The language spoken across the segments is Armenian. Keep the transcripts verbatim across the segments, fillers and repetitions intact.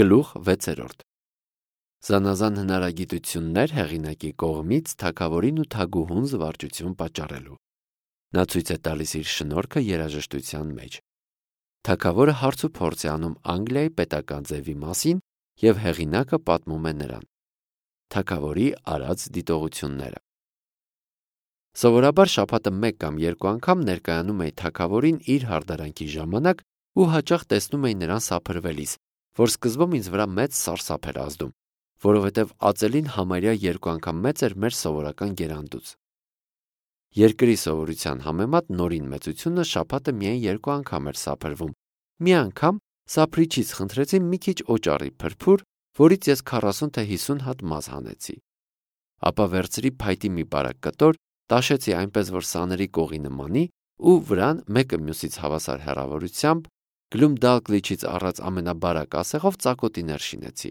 Գլուխ վեցերորդ Զանազան հնարագիտություններ հեղինակի կողմից թագավորին ու թագուհուն զվարճություն պատճառելու։ Նա ցույց է տալիս իր շնորհքը երաժշտության մեջ։ Թագավորը հարց ու փորձ է անում Անգլիայի պետական ձևի մասին և հեղինակը պատմում է նրան։ Թագավորի արած դիտողությունները Սովորաբար շաբաթը մեկ կամ երկու անգամ ներկայանում էի թագավորին իր հարդարանքի ժամանակ ու հաճախ տեսնում էի նրան սափրվելիս, որ սկզբում ինձ վրա մեծ սարսափ էր ազդում, որովհետև ածելին համարյա երկու անգամ մեծ էր մեր սովորական գերանդուց։ Երկրի սովորության համեմատ նորին մեծությունը շաբաթը միայն երկու անգամ էր սափրվում։ Մի անգամ սափրիչից խնդրեցի մի քիչ օճառի փրփուր, որից ես քառասուն թե հիսուն հատ մազ հանեցի։ Ապա վերցրի փայտի մի բարակ կտոր, տաշեցի այնպես, որ սաների կողի նմանի ու վրան մեկը մյուսից հավասար հեռավորությամբ գլումդալկլիչից առած ամենաբարակ ասեղով ծակոտիներ շինեցի։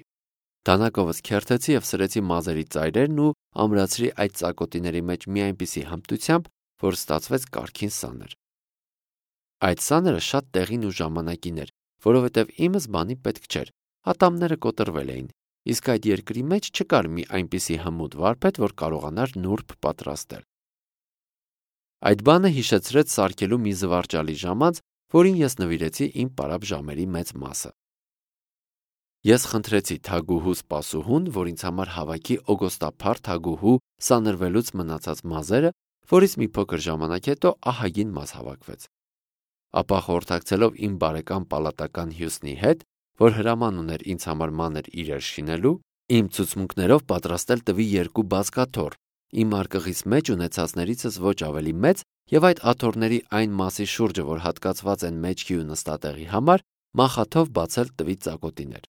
Դանակովս քերթեցի և սրեցի մազերի ծայրերն ու ամրացրի այդ ծակոտիների մեջ մի այնպիսի հմտությամբ, որ ստացվեց կարգին սաներ։ Այդ սաները շատ տեղին ու ժամանակին էր, որովհետև իմս բանի պետք չէր, ատամները կոտրվել էին, իսկ այդ երկրի մեջ չկար մի այնպիսի հմուտ վարպետ, որ կարողանար նուրբ պատրաստել։ Այդ բանը հիշեցրեց սարքելու մի զվարճալի ժամանց, որին ես նվիրեցի իմ պարապ ժամերի մեծ մասը։ Ես խնդրեցի թագուհու սպասուհուն, որ ինձ համար հավաքի օգոստափառ թագուհու սանրվելուց մնացած մազերը, որից մի փոքր ժամանակ հետո ահագին մազ հավաքվեց։ Ապա խորհրդակցելով իմ բարեկամ պալատական Հյուսնի հետ, որ հրաման ուներ ինձ համար մանր իրեր շինելու, իմ ցուցմունքներով պատրաստել տվի երկու բազկաթոռ, իմ արկղից մեջ ունեցածներիցս ոչ ավելի մեծ և այդ աթոռների այն մասի շուրջը, որ հատկացված են մեջքի ու նստատեղի համար, մախաթով բացել տվի ծակոտիներ։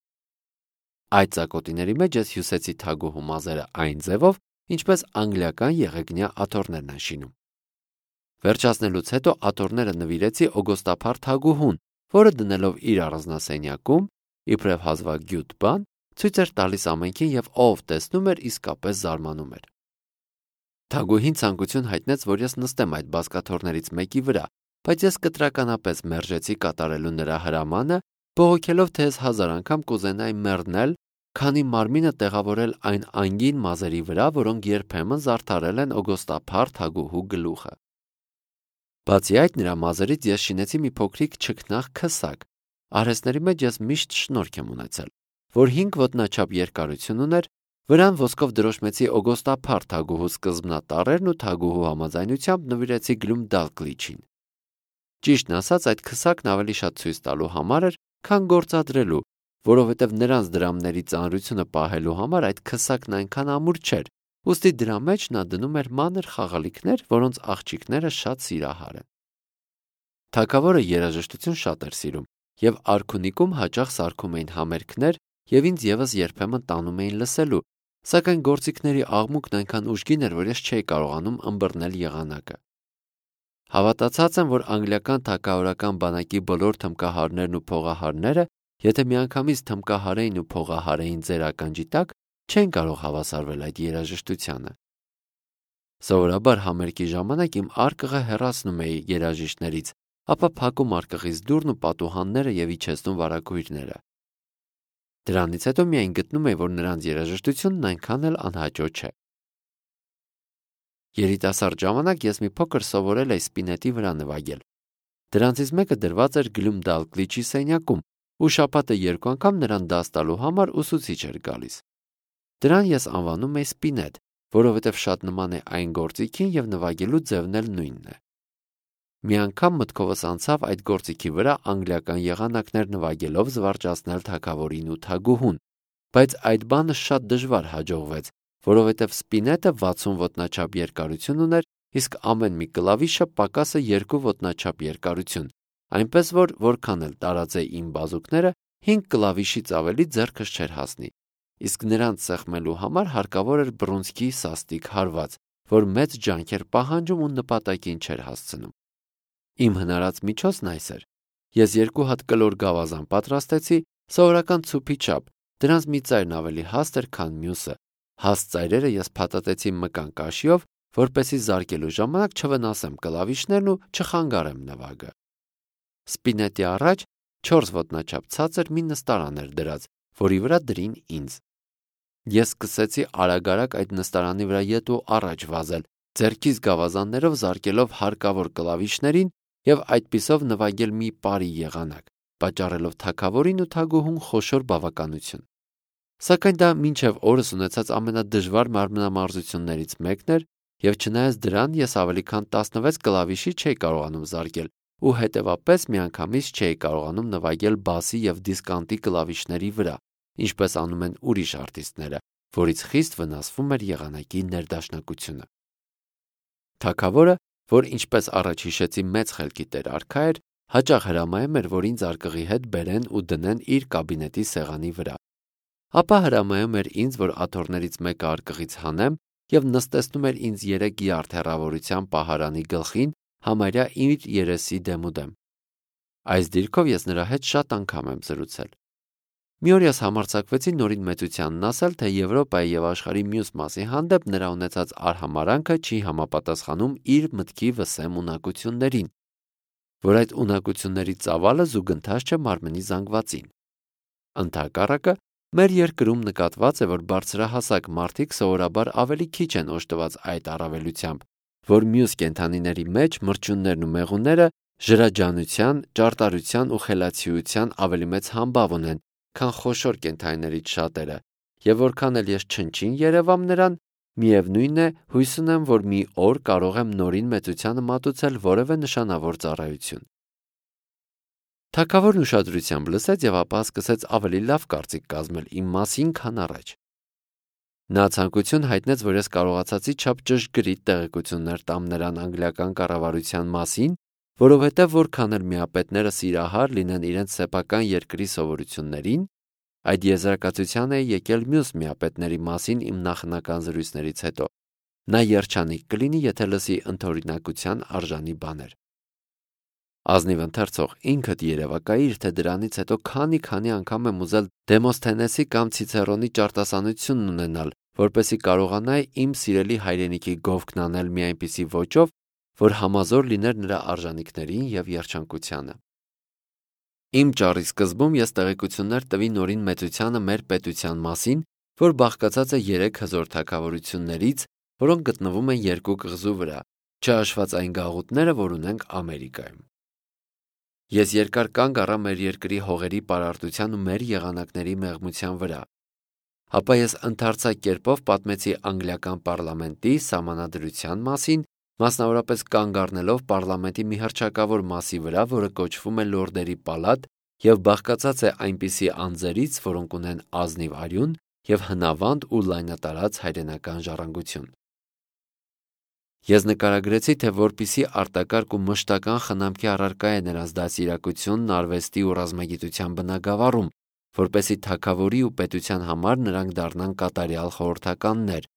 Այդ ծակոտիների մեջ ես հյուսեցի թագուհու մազերը այն ձևով, ինչպես անգլիական եղեգնյա աթոռներն են շինում։ Վերջացնելուց հետո աթոռները նվիրեցի օգոստափառ թագուհուն, որը դնելով իր առանձնասենյակում, իբրև հազվագյուտ բան, ցույց էր տալիս ամենքին և ով տեսնում էր, իսկապես զարմանում էր։ Թագուհին ցանկություն հայտնեց, որ ես նստեմ այդ բազկաթոռներից մեկի վրա, բայց ես կտրականապես մերժեցի կատարելու նրա հրամանը, բողոքելով, թե ես հազար անգամ կուզենայի մեռնել, քանի մարմինը տեղավորել այն անգին մազերի վրա, որոնք երբեմն զարդարել են օգոստափառ թագուհու գլուխը։ Բացի այդ, նրա մազերից ես շինեցի մի փոքրիկ չքնաղ քսակ։ Արհեստների մեջ ես միշտ շնորհք եմ ունեցել, որ հինգ ոտնաչափ երկարություն ուներ, վրան ոսկով դրոշմեցի օգոստափառ թագուհու սկզբնատառերն ու թագուհու համաձայնությամբ նվիրեցի գլումդալկլիչին։ Ճիշտն ասած, այդ քսակն ավելի շատ ցույց տալու համար էր, քան գործադրելու, որովհետև նրանց դրամների ծանրությունը պահելու համար այդ քսակն այնքան ամուր չէր, ուստի դրա մեջ նա դնում էր մանր խաղալիքներ, որոնց աղջիկները շատ սիրահար են։ Թագավորը երաժշտություն շատ էր սիրում, և արքունիքում հաճախ սարքում էին համերգներ և ինձ ևս երբեմն տանում էին լսելու, սակայն գործիքների աղմուկն այնքան ուժգին էր, որ ես չէի կարողանում ըմբռնել եղանակը։ Հավատացած եմ, որ անգլիական թագավորական բանակի բոլոր թմկահարներն ու փողահարները, եթե միանգամից թմկահարեին ու փողահարեին ձեր ականջի տակ, չեն կարող հավասարվել այդ երաժշտությանը։ Սովորաբար համերգի ժամանակ իմ արկղը հեռացնում էի երաժիշտներից, ապա փակում արկղից դուռն ու պատուհանները և իջեցնում վարագույրները։ Դրանից հետո միայն գտնում էի, որ նրանց երաժշտությունն այնքան էլ անհաճո չէ։ Երիտասարդ ժամանակ ես մի փոքր սովորել էի սպինետի վրա նվագել։ Դրանցից մեկը դրված էր գլումդալկլիչի սենյակում, ու շաբաթը երկու անգամ նրան դաս տալու համար ուսուցիչ էր գալիս։ Դրան ես անվանում էի սպինետ, որովհետև շատ նման է այն գործիքին և նվագելու ձևն էլ նույնն է։ Մի անգամ մտքովս անցավ այդ գործիքի վրա անգլիական եղանակներ նվագելով զվարճացնել թագավորին ու թագուհուն, բայց այդ բանը շատ դժվար հաջողվեց, որովհետև սպինետը վաթսուն ոտնաչափ երկարություն ուներ, իսկ ամեն մի կլավիշը պակասը երկու ոտնաչափ երկարություն, այնպես որ որքան էլ տարածեի իմ բազուկները, հինգ կլավիշից ավելի ձեռքս չէր հասնի, իսկ նրանց սեղմելու համար հարկավոր էր բռունցքի սաստիկ հարված, որ մեծ ջանք էր պահանջում ու նպատակին չէր հասցնում։ Իմ հնարած միջոցն այս էր. ես երկու հատ կլոր գավազան պատրաստեցի, սովորական ցուփի չափ, դրանց մի ծայրն ավելի հաստ էր, քան մյուսը։ Հաստ ծայրերը ես փաթաթեցի մկան կաշիով, որպեսզի զարկելու ժամանակ չվնասեմ կլավիշներն ու չխանգարեմ նվագը։ Սպինետի առաջ չորս ոտնաչափ ցածր մի նստարան էր դրած, որի վրա դրին ինձ։ Ես սկսեցի արագ-արագ այդ նստարանի վրա ետ ու առաջ վազել, ձեռքիս գավազաններով զարկելով հարկավոր կլավիշներին և այդպիսով նվագել մի պարի եղանակ, պատճառելով թագավորին ու թագուհուն խոշոր բավականություն։ Սակայն դա մինչև օրս ունեցած ամենադժվար մարմնամարզություններից մեկն էր, և չնայած դրան ես ավելի քան տասնվեց կլավիշի չէի կարողանում զարկել ու հետևապես միանգամից չէի կարողանում նվագել բասի և դիսկանտի կլավիշների վրա, ինչպես անում են ուրիշ արտիստները, որից խիստ վնասվում էր եղանակի ներդաշնակությունը։ Թագավորը, որ ինչպես առաջ հիշեցի մեծ խելքի տեր-արքա էր, հաճախ հրամայում էր, որ ինձ արկղի հետ բերեն ու դնեն իր կաբինետի սեղանի վրա։ Ապա հրամայում էր ինձ, որ աթոռներից մեկը արկղից հանեմ և նստեցնում էր ինձ երեք յարդ հեռավորության պահարանի գլխին, համարյա իր երեսի դեմուդեմ։ Այս դիրքով ես նրա հետ շատ անգամ եմ զրուցել։ Մի օր ես համարձակվեցի նորին մեծությանն ասել, թե Եվրոպայի և աշխարհի մյուս մասի հանդեպ նրա ունեցած արհամարհանքը չի համապատասխանում իր մտքի վսեմ ունակություններին, որ այդ ունակությունների ծավալը զուգընթաց չէ մարմնի զանգվածին։ Ընդհակառակը, մեր երկրում նկատված է, որ բարձրահասակ մարդիկ սովորաբար ավելի քիչ են օժտված այդ առավելությամբ, որ մյուս կենդանիների մեջ մրջյուններն ու մեղուները ժրաջանության, ճարտարության ու խելացիության ավելի մեծ համբավ ունեն, քան խոշոր կենդանիներից շատերը, և որքան էլ ես չնչին երևամ նրան, միևնույն է, հույս ունեմ, որ մի օր կարող եմ նորին մեծությանը մատուցել որևէ նշանավոր ծառայություն։ Թագավորն ուշադրությամբ լսեց և ապա սկսեց ավելի լավ կարծիք կազմել իմ մասին, քան առաջ։ Նա ցանկություն հայտնեց, որ ես կարողացածի չափ ճշգրիտ տեղեկություններ տամ նրան անգլիական կառավարության մասին, որովհետև որքան էլ միապետները սիրահար լինեն իրենց սեփական երկրի սովորություններին, այդ եզրակացության է եկել մյուս միապետների մասին իմ նախնական զրույցներից հետո։ Նա երջանիկ կլինի, եթե լսի ընդօրինակության արժանի բաներ։ Ազնիվ ընթերցող, ինքդ երևակայիր, թե դրանից հետո քանի-քանի անգամ եմ ուզել Դեմոսթենեսի կամ Ցիցերոնի ճարտասանությունն ունենալ, որպեսզի կարողանայի իմ սիրելի հայրենիքի գովքն անել մի այնպիսի ոճով, որ համազոր լիներ նրա արժանիքներին և երջանկությանը։ Իմ ճառի սկզբում ես տեղեկություններ տվի նորին մեծությանը մեր պետության մասին, որ բաղկացած է երեք հզոր թագավորություններից, որոնք գտնվում են երկու կղզու վրա, չհաշված այն գաղութները, որ ունենք Ամերիկայում։ Ես երկար կանգ առա մեր երկրի հողերի պարարտության ու մեր եղանակների մեղմության վրա։ Ապա ես ընդարձակ կերպով պատմեցի անգլիական պարլամենտի սահմանադրության մասին, մասնավորապես կանգ առնելով պարլամենտի մի հռչակավոր մասի վրա, որը կոչվում է Լորդերի պալատ և բաղկացած է այնպիսի անձերից, որոնք ունեն ազնիվ արյուն և հնավանդ ու լայնատարած հայրենական ժառանգություն։ Ես նկարագրեցի, թե որպիսի արտակարգ ու մշտական խնամքի առարկա է նրանց դաստիարակությունն արվեստի ու ռազմագիտության բնագավառում, որպեսզի թագավորի ու պետության համար նրանք դառնան կատարյալ խորհրդականներ,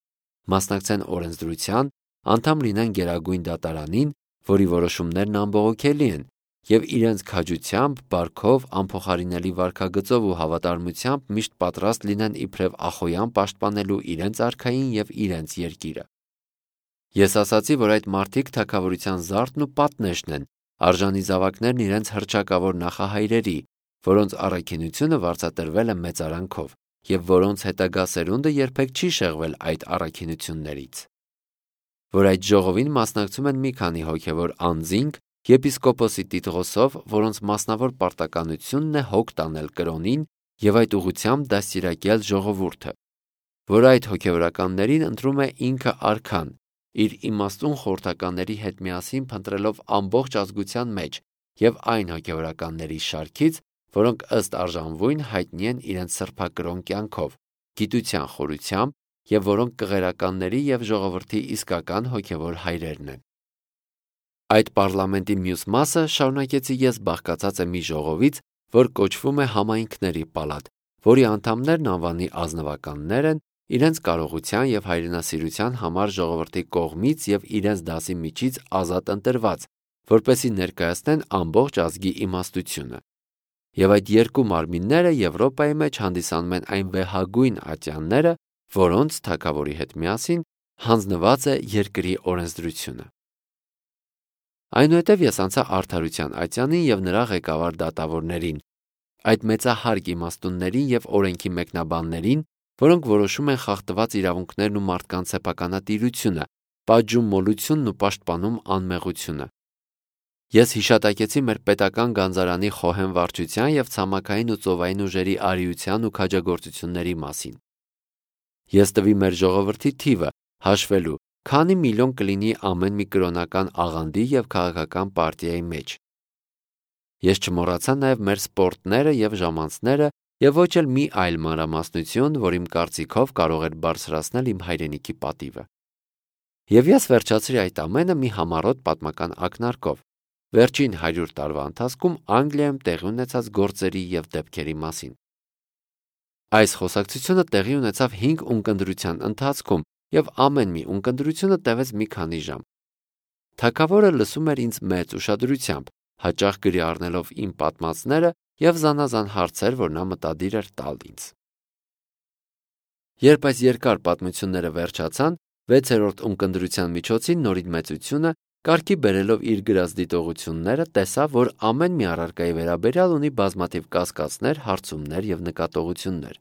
մասնակցեն օրենսդրության, անդամ լինեն Գերագույն դատարանին, որի որոշումներն անբողոքելի են, և իրենց քաջությամբ, բարքով, անփոխարինելի վարքագծով ու հավատարմությամբ միշտ պատրաստ լինեն իբրև ախոյան պաշտպանելու իրենց արքային և իրենց երկիրը։ Ես ասացի, որ այդ մարդիկ թագավորության զարդն ու պատնեշն են, արժանի զավակներն իրենց հռչակավոր նախահայրերի, որոնց առաքինությունը վարձատրվել է մեծարանքով, և որոնց հետագա սերունդը երբեք չի շեղվել այդ առաքինություններից։ Որ այդ ժողովին մասնակցում են մի քանի հոգևոր անձինք, եպիսկոպոսի տիտղոսով, որոնց մասնավոր պարտականությունն է հոգ տանել կրոնին և այդ ուղղությամբ դաստիարակել ժողովուրդը, որ այդ հոգևորականներին ընտրում է ինքը արքան, իր իմաստուն խորհրդականների հետ միասին փնտրելով ամբողջ ազգության մեջ և այն հոգևորականների շարքից, որոնք ըստ արժանվույն հայտնի են իրենց սրբակրոն կյանքով, գիտության խորությամբ և որոնք կղերականների և ժողովրդի իսկական հոգևոր հայրերն են։ Այդ պարլամենտի մյուս մասը, շարունակեցի ես, բաղկացած է մի ժողովից, որ կոչվում է Համայնքների պալատ, որի անդամներն անվանի ազնվականներ են, իրենց կարողության և հայրենասիրության համար ժողովրդի կողմից և իրենց դասի միջից ազատ ընտրված, որպեսզի ներկայացնեն ամբողջ ազգի իմաստությունը։ Եվ այդ երկու մարմինները Եվրոպայի մեջ հանդիսանում են այն վեհագույն ատյանները, որոնց թագավորի հետ միասին հանձնված է երկրի օրենսդրությունը։ Այնուհետև ես անցա Արդարության ատյանին և նրա ղեկավար դատավորներին, այդ մեծահարկ իմաստուններին եւ օրենքի մեկնաբաններին, որոնք որոշում են խախտված իրավունքներն ու մարդկանց սեփականատիրությունը, պատժում մոլությունն ու պաշտպանում անմեղությունը։ Ես հիշատակեցի մեր պետական գանձարանի խոհեմ վարչության եւ ցամաքային ու ծովային ուժերի արիության ու քաջագործությունների մասին։ Ես տվի մեր ժողովրդի թիվը հաշվելու, քանի միլիոն կլինի ամեն մի կրոնական աղանդի եւ քաղաքական պարտիայի մեջ։ Ես չմոռացա նաեւ մեր սպորտները եւ ժամանցները եւ ոչ էլ մի այլ մանրամասնություն, որ իմ կարծիքով կարող էր բարձրացնել իմ հայրենիքի պատիվը։ Եվ ես վերջացրի այդ ամենը մի համառոտ պատմական ակնարկով, վերջին հարյուր տարվա ընթացքում Անգլիայում տեղի ունեցած գործերի եւ դեպքերի մասին։ Այս խոսակցությունը տեղի ունեցավ հինգ ունկնդրության ընթացքում եւ ամեն մի ունկնդրությունը տևեց մի քանի ժամ։ Թագավորը լսում էր ինձ մեծ ուշադրությամբ, հաճախ գրի առնելով իմ պատմածները եւ զանազան հարցեր, որ նա մտադիր էր տալ ինձ։ Երբ այս երկար պատմությունները վերջացան, վեցերորդ ունկնդրության միջոցին նորին մեծությունը, կարգի բերելով իր գրած դիտողությունները, տեսավ, որ ամեն մի առարկայի վերաբերյալ ունի բազմաթիվ կասկածներ, հարցումներ եւ նկատողություններ։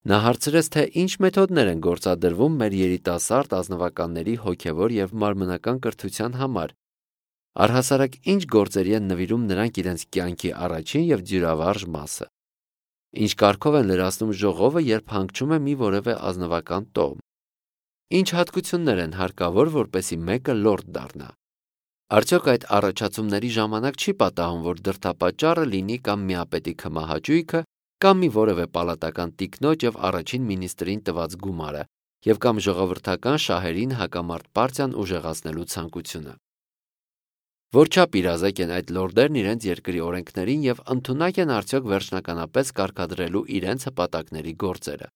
Նա հարցրեց, թե ինչ մեթոդներ են գործադրվում մեր երիտասարդ ազնվականների հոգեվոր եւ մարմնական կրթության համար, առհասարակ ինչ գործերի են նվիրում նրանք իրենց կյանքի առաջին եւ դյուրավարժ մասը, ինչ կարգով են լրացնում ժողովը, երբ հանգչում է մի որևէ ազնվական տոհմ, ինչ հատկություններ են հարկավոր, որպեսզի մեկը լորդ դառնա։ Արդյոք այդ առաջացումների ժամանակ չի պատահում, որ դրդապատճառը լինի կամ միապետի քմահաճույքը, կամ մի որևէ պալատական տիկնոջ եւ առաջին մինիստրին տված գումարը, եւ կամ ժողովրդական շահերին հակամարտ պարտիան ուժեղացնելու ցանկությունը։ Որչափ իրազեկ են այդ լորդերն իրենց երկրի օրենքներին եւ ընդունակ են արդյոք վերջնականապես կարգադրելու իրենց հպատակների գործերը։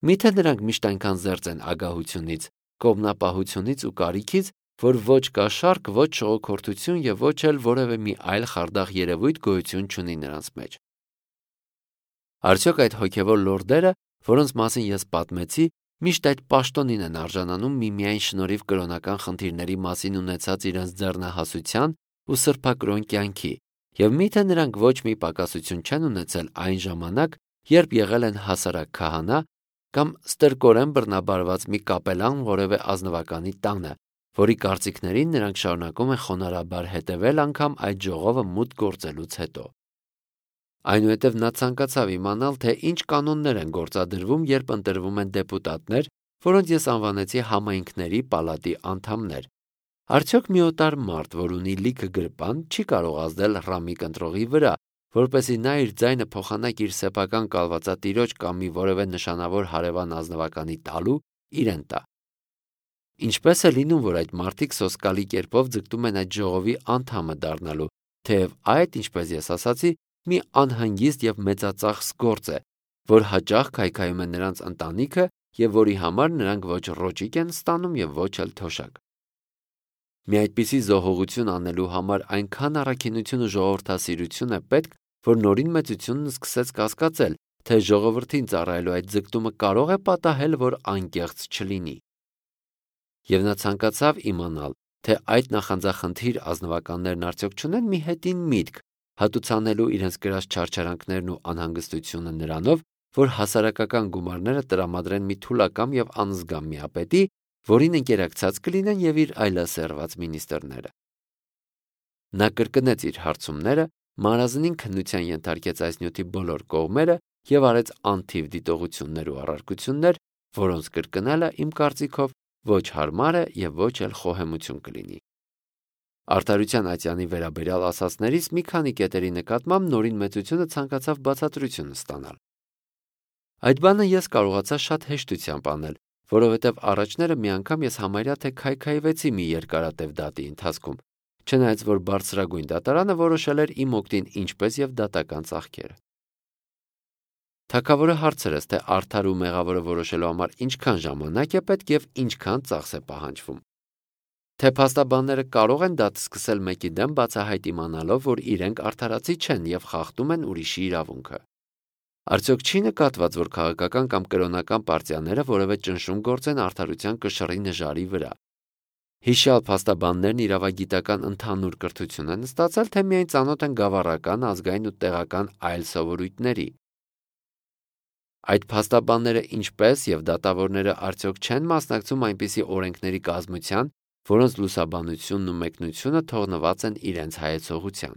Միթե նրանք միշտ այնքան զերծ են ագահությունից, կողմնապահությունից ու կարիքից, որ ոչ կաշառք, ոչ շողոքորթություն եւ ոչ էլ որևէ մի այլ խարդախ երևույթ գոյություն չունի նրանց մեջ։ Արդյոք այդ հոգևոր լորդերը, որոնց մասին ես պատմեցի, միշտ այդ պաշտոնին են արժանանում միմիայն շնորհիվ կրոնական խնդիրների մասին ունեցած իրենց ձեռնահասության ու սրբակրոն կյանքի, եւ միթե նրանք ոչ մի պակասություն չեն ունեցել այն ժամանակ, երբ եղել են հասարակ քահանա կամ ստրկորեն բռնաբարված մի կապելան որևէ ազնվականի տանը, որի կարծիքներին նրանք շարունակում են խոնարհաբար հետևել անգամ այդ ժողովը մուտք գործելուց հետո։ Այնուհետև նա ցանկացավ իմանալ, թե ինչ կանոններ են գործադրվում, երբ ընտրվում են դեպուտատներ, որոնց ես անվանեցի համայնքների պալատի անդամներ։ Արդյոք մի օտար մարդ, որ ունի լիքը գրպան, չի կարող ազդել ռամի կընտրողի վրա, որպեսզի նա իր ձայնը փոխանակ իր սեփական կալվածատիրոջ կամ մի որևէ նշանավոր հարևան ազնվականի տալու իրեն տա։ Ինչպես է լինում, որ այդ մարդիկ սոսկալի կերպով ձգտում են այդ ժողովի անդամը դառնալու, թեև այդ, ինչպես ես ասացի, մի անհանգիստ եւ մեծածախս գործ է, որ հաճախ քայքայում է նրանց ընտանիքը եւ որի համար նրանք ոչ ռոճիկ են ստանում եւ ոչ էլ թոշակ։ Մի այդպիսի զոհողություն անելու համար այնքան առաքինություն ու ժողովրդասիրություն է պետք, որ նորին մեծությունն սկսեց կասկածել, թե ժողովրդին ծառայելու այդ ձգտումը կարող է պատահել, որ անկեղծ չլինի։ Եվ նա ցանկացավ իմանալ, թե այդ նախանձախնդիր ազնվականներն արդյոք չունեն մի հետին միտք հատուցանելու իրենց գրած չարչարանքներն ու անհանգստությունը նրանով, որ հասարակական գումարները տրամադրեն մի թուլակամ եւ անզգամ միապետի, որին ընկերակցած կլինեն եւ իր այլասերված մինիստրները։ Նա կրկնեց իր հարցումները, մարզնին քննության ենթարկեց այս նյութի բոլոր կողմերը եւ արեց անթիվ դիտողություններ ու առարկություններ, որոնց կրկնելը իմ կարծիքով ոչ հարմար է եւ ոչ էլ խոհեմություն կլինի։ Արդարության Ատյանի վերաբերյալ ասացներից մի քանի կետերի նկատմամբ նորին մեծությունը ցանկացավ բացատրություն ստանալ։ Այդ բանը ես կարողացա շատ հեշտությամբ անել, որովհետև առաջները մի անգամ ես համարյա թե քայքայվեցի մի երկարատև դատի ընթացքում, չնայած որ բարձրագույն դատարանը որոշել էր իմ օգտին ինչպես եւ դատական ծախքերը։ Թագավորը հարցրեց, թե արդար ու մեղավորը որոշելու համար ինչքան ժամանակ է պետք եւ ինչքան ծախս է պահանջվում։ Թե փաստաբանները կարող են դատ սկսել մեկի դեմ բացահայտ իմանալով, որ իրենք արդարացի չեն եւ խախտում են ուրիշի իրավունքը։ Արդյոք չի նկատված, որ քաղաքական կամ կրոնական պարտիաները որևէ ճնշում գործեն արդարության կշռի նժարի վրա։ Հիշյալ փաստաբաններն իրավագիտական ընդհանուր կրթություն են ստացել, թե միայն ծանոթ են գավառական, ազգային ու տեղական այլ սովորույթների։ Այդ փաստաբանները ինչպես եւ դատավորները արդյոք չեն մասնակցում այնպիսի օրենքների կազմության, որոնց լուսաբանությունն ու մեկնությունը թողնված են իրենց հայեցողության։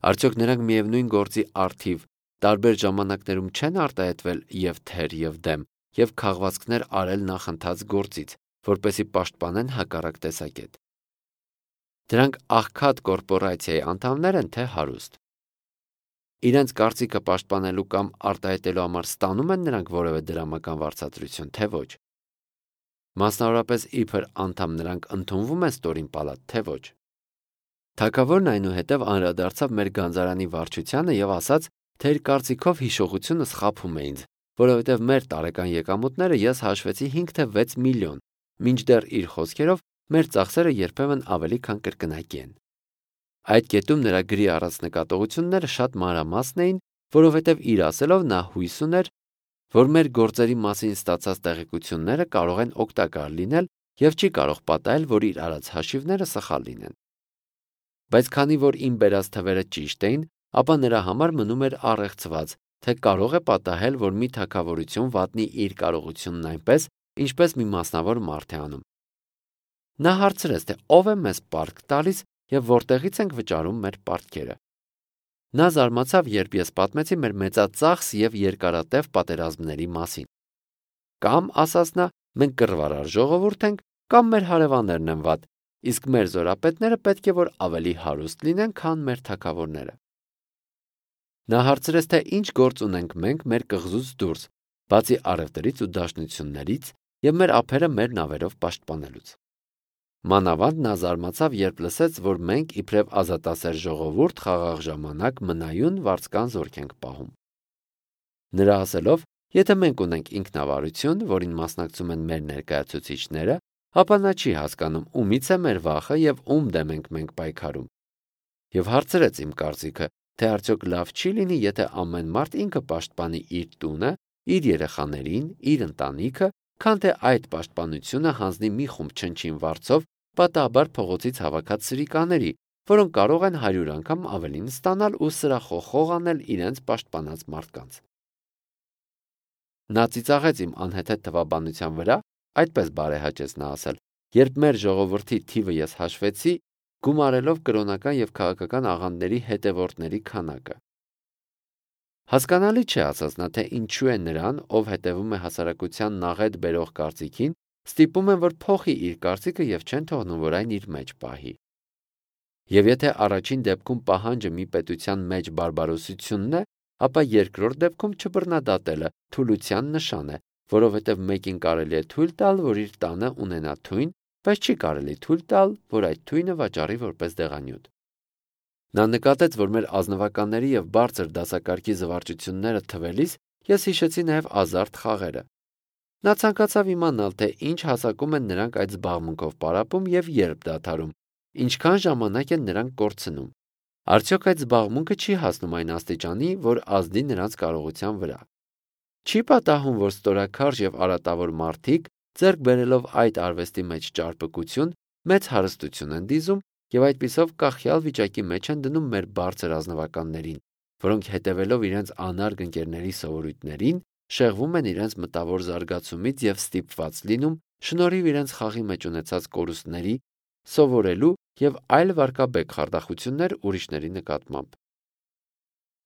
Արդյոք նրանք միևնույն գործի առթիվ տարբեր ժամանակներում չեն արտահայտվել եւ թեր եւ դեմ եւ քաղվածքներ արել նախընթաց գործից, որպեսզի պաշտպանեն հակառակ տեսակետ։ Դրանք աղքատ կորպորացիայի անդամներ են, թե հարուստ։ Իրենց կարծիքը պաշտպանելու կամ արտահայտելու համար ստանում են նրանք որևէ դրամական վարձատրություն, թե ոչ։ Մասնավորապես իբր անդամ նրանք ընդունվում են ստորին պալատ, թե ոչ։ Թագավորն այնուհետև անդրադարձավ մեր գանձարանի վարչությանը եւ ասաց, թե իր կարծիքով հիշողությունը սխափում է ինձ, որովհետեւ մեր տարեկան եկամուտները ես հաշվեցի հինգ թե վեց միլիոն, մինչդեռ իր խոսքերով մեր ծախսերը երբեմն ավելի քան կրկնակի են։ Այդ կետում նրա գրի առած նկատողությունները շատ մանրամասն էին, որովհետև իր ասելով նա հույս ուներ, որ մեր գործերի մասին ստացած տեղեկությունները կարող են օգտակար լինել եւ չի կարող պատահել, որ իր արած հաշիվները սխալ լինեն։ Բայց քանի որ իմ բերած թվերը ճիշտ էին, ապա նրա համար մնում էր առեղծված, թե կարող է պատահել, որ մի թագավորություն վատնի իր կարողությունն այնպես, ինչպես մի մասնավոր մարդ է անում։ Նա հարցրեց, թե ով է մեզ պարտք տալիս եւ որտեղից ենք վճարում մեր պարտքերը։ Նա զարմացավ, երբ ես պատմեցի մեր մեծածախս եւ երկարատև պատերազմների մասին։ Կամ, ասաց նա, մենք կռվարար ժողովուրդ ենք, կամ մեր հարևաններն են վատ, իսկ մեր զորապետները պետք է որ ավելի հարուստ լինեն, քան մեր թագավորները։ Նա հարցրեց, թե ինչ գործ ունենք մենք մեր կղզուց դուրս, բացի առևտրից ու դաշնություններից եւ մեր ափերը մեր նավերով պաշտպանելուց։ Մանավանդ նա զարմացավ, երբ լսեց, որ մենք իբրև ազատասեր ժողովուրդ խաղաղ ժամանակ մնայուն վարձկան զորք ենք պահում։ Նրա ասելով, եթե մենք ունենք ինքնավարություն, որին մասնակցում են մեր ներկայացուցիչները, ապա նա չի հասկանում ումից է մեր վախը եւ ում դեմ ենք մենք պայքարում։ Եվ հարցրեց իմ կարծիքը, թե արդյոք լավ չի լինի, եթե ամեն մարդ ինքը պաշտպանի իր տունը, իր երեխաներին, իր ընտանիքը, քան թե այդ պաշտպանությունը հանձնի մի խումբ չնչին վարձով պատահաբար փողոցից հավաքած սրիկաների, որոնք կարող են հարյուր անգամ ավելին ստանալ ու սրախոխող անել իրենց պաշտպանած մարդկանց։ Նա ծիծաղեց իմ անհեթեթ թվաբանության վրա, այդպես բարեհաճեց նա ասել, երբ մեր ժողովրդի թիվը ես հաշվեցի, գումարելով կրոնական եւ քաղաքական աղանդների հետևորդների քանակը։ Հասկանալի չէ, ասաց նա, թե ինչու է նրան, ով հետևում է հասարակության նաղետ բերող կարծիքին, ստիպում են, որ փոխի իր կարծիքը եւ չեն թողնում, որ այն իր մեջ պահի։ Եվ եթե առաջին դեպքում պահանջը մի պետության մեջ բարբարոսությունն է, ապա երկրորդ դեպքում չբռնադատելը թուլության նշան է, որովհետև մեկին կարելի է թույլ տալ, որ իր տանը ունենա թույն, բայց չի կարելի թույլ տալ, որ այդ թույնը վաճառի որպես դեղանյութ։ Նա նկատեց, որ մեր ազնվականների եւ բարձր դասակարգի զվարճությունները թվելիս ես հիշեցի նաեւ ազարտ խաղերը։ Նա ցանկացավ իմանալ, թե ինչ հասակում են նրանք այդ զբաղմունքով պարապում եւ երբ դադարում, ինչքան ժամանակ են նրանք կորցնում։ Արդյոք այդ զբաղմունքը չի հասնում այն աստիճանի, որ ազդի նրանց կարողության վրա։ Չի պատահում, որ ստորաքարշ եւ արատավոր մարդիկ, ձեռք բերելով այդ արվեստի մեջ ճարպկություն, մեծ հարստություն են դիզում եւ այդպիսով կախյալ վիճակի մեջ են դնում մեր բարձր ազնվականներին, որոնք հետևելով իրենց անարգ ընկերների սովորույթներին, շեղվում են իրենց մտավոր զարգացումից եւ ստիպված լինում շնորհիվ իրենց խաղի մեջ ունեցած կորուստների սովորելու եւ այլ վարկաբեկ խարդախություններ ուրիշների նկատմամբ։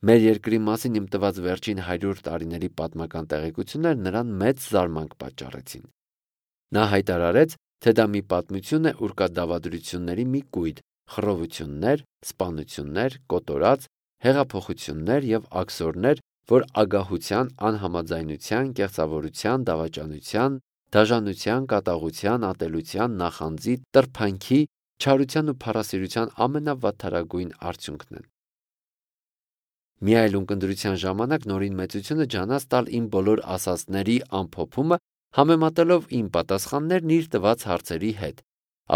Մեր երկրի մասին իմ տված վերջին հարյուր տարիների պատմական տեղեկություններ նրան մեծ զարմանք պատճառեցին։ Նա հայտարարեց, թե դա մի պատմություն է, ուր կա դավադրությունների մի կույտ, խռովություններ, սպանություններ, կոտորած, հեղափոխություններ եւ աքսորներ, որ ագահության, անհամաձայնության, կեղծավորության, դավաճանության, դաժանության, կատաղության, ատելության, նախանձի, տրփանքի, չարության ու փառասիրության ամենավատթարագույն արդյունքն են։ Մի այլ ունկնդրության ժամանակ նորին մեծությունը ջանաց տալ իմ բոլոր ասածների ամփոփումը, համեմատելով իմ պատասխաններն իր տված հարցերի հետ,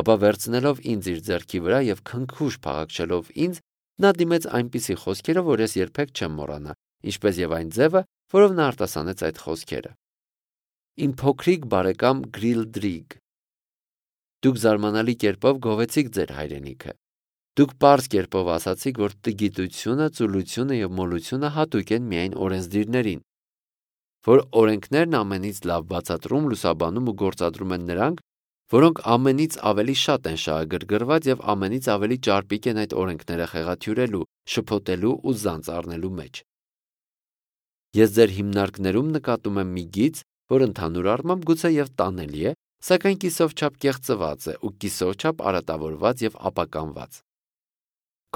ապա վերցնելով ինձ իր ձեռքի վրա եւ քնքուշ փաղաքշելով ինձ, նա դիմեց այնպիսի խոսքերով, որ ես երբեք չեմ մոռանա, ինչպես եւ այն ձևը, որով նա արտասանեց այդ խոսքերը։ Իմ փոքրիկ բարեկամ Գրիլդրիգ, Դուք զարմանալի կերպով գովեցիք ձեր հայրենիքը։ Դուք պարզ կերպով ասացիք, որ տգիտությունը, ծուլությունը և մոլությունը հատուկ են միայն օրենսդիրներին, որ օրենքներն ամենից լավ բացատրում, լուսաբանում ու գործադրում են նրանք, որոնք ամենից ավելի շատ են շահագրգռված և ամենից ավելի ճարպիկ են այդ օրենքները խեղաթյուրելու, շփոթելու ու զանց առնելու մեջ։ Ես ձեր հիմնարկներում նկատում եմ մի գիծ, որ ընդհանուր առմամբ գուցեև տանելի է, սակայն կիսով չափ կեղծված է ու կիսով չափ արատավորված և ապականված։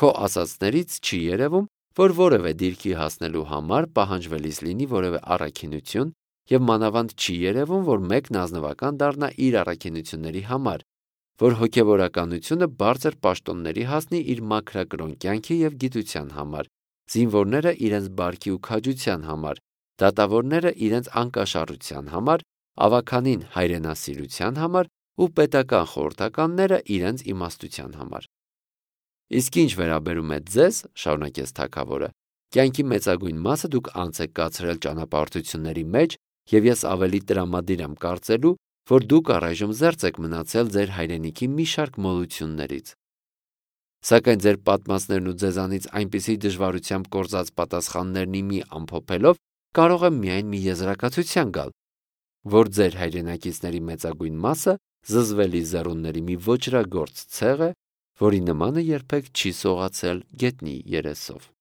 Քո ասածներից չի երևում, որ որևէ դիրքի հասնելու համար պահանջվելիս լինի որևէ առաքինություն, և մանավանդ չի երևում, որ մեկն ազնվական դառնա իր առաքինությունների համար, որ հոգևորականությունը բարձր պաշտոնների հասնի իր մաքրակրոն կյանքի և գիտության համար, զինվորները իրենց բարքի ու քաջության համար, դատավորները իրենց անկաշառության համար, ավագանին հայրենասիրության համար ու պետական խորհրդականները իրենց իմաստության համար։ Իսկ ինչ վերաբերում է ձեզ, շարունակեց թագավորը, կյանքի մեծագույն մասը դուք անց եք կացրել ճանապարհորդությունների մեջ, և ես ավելի տրամադիր եմ կարծելու, որ դուք առայժմ զերծ եք մնացել ձեր հայրենիքի մի շարք մոլություններից։ Սակայն ձեր պատմածներն ու ձեզանից այնպիսի դժվարությամբ կորզած պատասխաններն ի մի ամփոփելով կարող եմ միայն մի եզրակացության գալ, որ ձեր հայրենակիցների մեծագույն մասը զզվելի զեռունների մի ոճրագործ ցեղ է, որի նմանը երբեք չի սողացել գետնի երեսով։